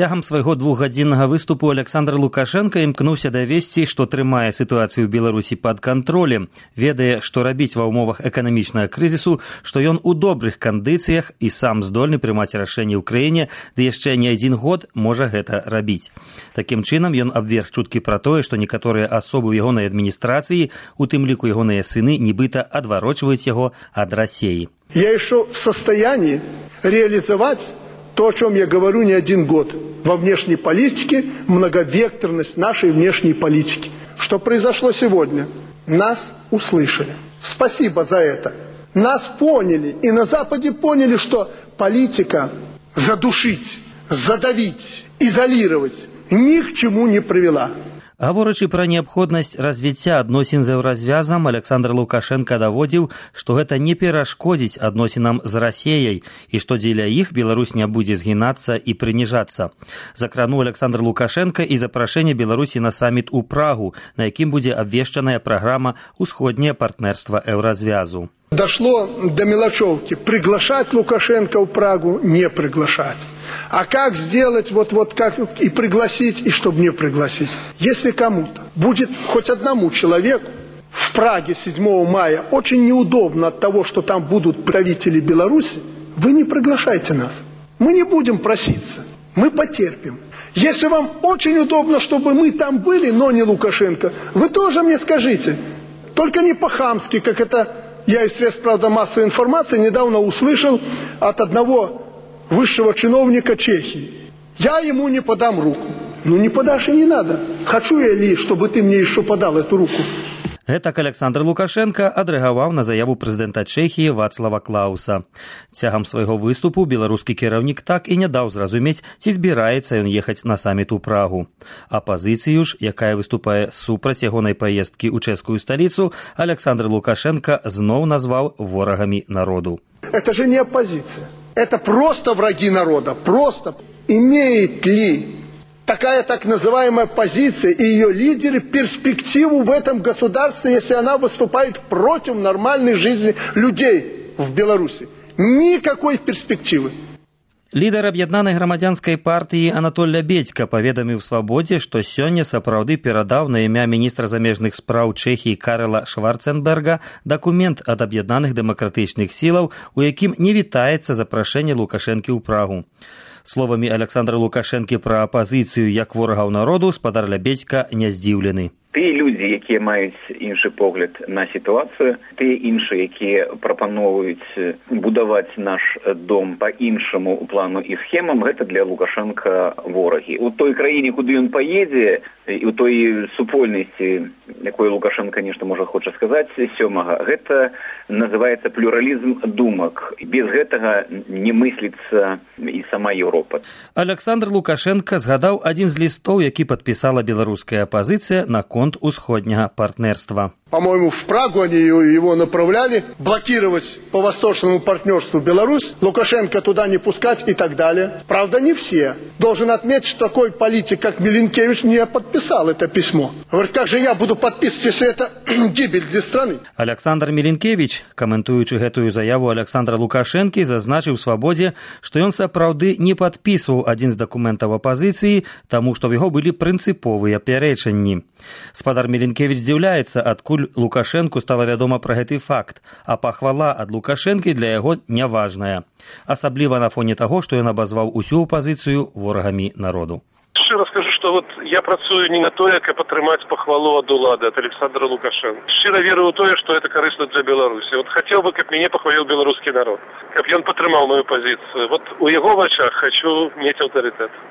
Цягам свайго двухгадзіннага выступу Александр Лукашенко імкнуўся давесці, што трымае сітуацыю ў Беларусі пад кантролем, ведае, што рабіць ва ўмовах эканамічнага крызісу, што ён у добрых кандыцыях і сам здольны прымаць рашэнні ў краіне, ды яшчэ не адзін год можа гэта рабіць. Такім чынам ён абверг чуткі пра тое, што некаторыя асобы ў ягонай адміністрацыі, у тым ліку ягоныя сыны, нібыта адварочваюць яго ад России. Я еще в состоянии реализовать то, о чем я говорю не один год. Во внешней политике многовекторность нашей внешней политики. Что произошло сегодня? Нас услышали. Спасибо за это. Нас поняли. И на Западе поняли, что политика задушить, задавить, изолировать ни к чему не привела. Гаворачы пра неабходнасць развіцця адносін з еўразвязам, Александр Лукашенко даводзіў, што гэта не перашкодзіць адносінам з Расіяй і што дзеля іх Беларусь не будзе згінацца і прыніжацца. Закрануў Александр Лукашенко і запрашэнне Беларусі на саміт у Прагу, на якім будзе абвешчаная праграма «Усходняе партнерства еўразвязу». Дошло до мелочевки. Приглашать Лукашенко в Прагу, не приглашать. А как сделать, как и пригласить, и чтобы не пригласить? Если кому-то будет хоть одному человеку в Праге 7 мая очень неудобно от того, что там будут правители Беларуси, вы не приглашайте нас. Мы не будем проситься, мы потерпим. Если вам очень удобно, чтобы мы там были, но не Лукашенко, вы тоже мне скажите. Только не по-хамски, как это я из средств, правда, массовой информации недавно услышал от одного высшего чиновника Чехии. Я ему не подам руку. Ну не подашь и не надо. Хочу я ли, чтобы ты мне еще подал эту руку? Гэтак Александр Лукашенко адрэагаваў на заяву прэзідэнта Чэхіі Вацлава Клауса. Цягам свайго выступу беларускі кіраўнік так і не даў зразумець, ці збіраецца ён ехаць на саміт у Прагу. Апазіцыю ж, якая выступае супраць ягонай паездкі ў чэшскую сталіцу, Александр Лукашенко зноў назваў ворагамі народу. Это же не оппозиция. Это просто враги народа. Просто. Имеет ли такая так называемая позиция и ее лидеры перспективу в этом государстве, если она выступает против нормальной жизни людей в Беларуси? Никакой перспективы. Лідар аб'яднанай грамадзянскай партыі Анатоль Лябедзька паведаміў «Свабодзе», што сёння сапраўды перадаў на імя міністра замежных спраў Чэхіі Карла Шварценберга дакумент ад аб'яднаных дэмакратычных сілаў, у якім не вітаецца запрашэнне Лукашэнкі ў Прагу. Словамі Александра Лукашэнкі пра апазіцыю як ворагаў народу спадар Лябедзька не здзіўлены. Тыя людзі, якія маюць іншы погляд на сітуацыю, тыя іншыя, якія прапаноўваюць будаваць наш дом па-іншаму ў плану і схемам, гэта для Лукашенка ворагі. У той краіне, куды ён паедзе, і ў той супольнасці, якой Лукашенко нешта можа хоча сказаць, сёмага, гэта называецца плюралізм думак. Без гэтага не мысліцца і сама Еўропа. Александр Лукашенко згадаў адзін з лістоў, які падпісала беларуская апазіцыя на конт усходняга партнерства. По-моему, в Прагу они его направляли, блокировать по восточному партнерству Беларусь, Лукашенко туда не пускать и так далее. Правда, не все. Должен отметить, что такой политик, как Миленкевич, не подписал это письмо. Говорит, как же я буду подписывать, если это гибель для страны? Александр Миленкевич, каментуючы гэтую заяву Александра Лукашэнкі, зазначыў «Свабодзе», што ён сапраўды не падпісваў адзін з дакументаў апазіцыі, таму што ў яго былі прынцыповыя пярэчанні. Спадар Миленкевич здзіўляецца, адкуль Лукашенку стала вядома пра гэты факт, а пахвала ад Лукашэнкі для яго няважная. Асабліва на фоне таго, што ён абазваў усю апазіцыю ворагамі народу. Шчыра скажу, што я працую не на тое, каб атрымаць пахвалу ад улады, ад Александра Лукашенко. Шчыра веру ў тое, што гэта карысна для Беларусі. Хацеў бы, каб мяне пахваліў беларускі народ, каб ён падтрымаў маю пазіцыю. У яго вачах хачу мець аўтарытэт.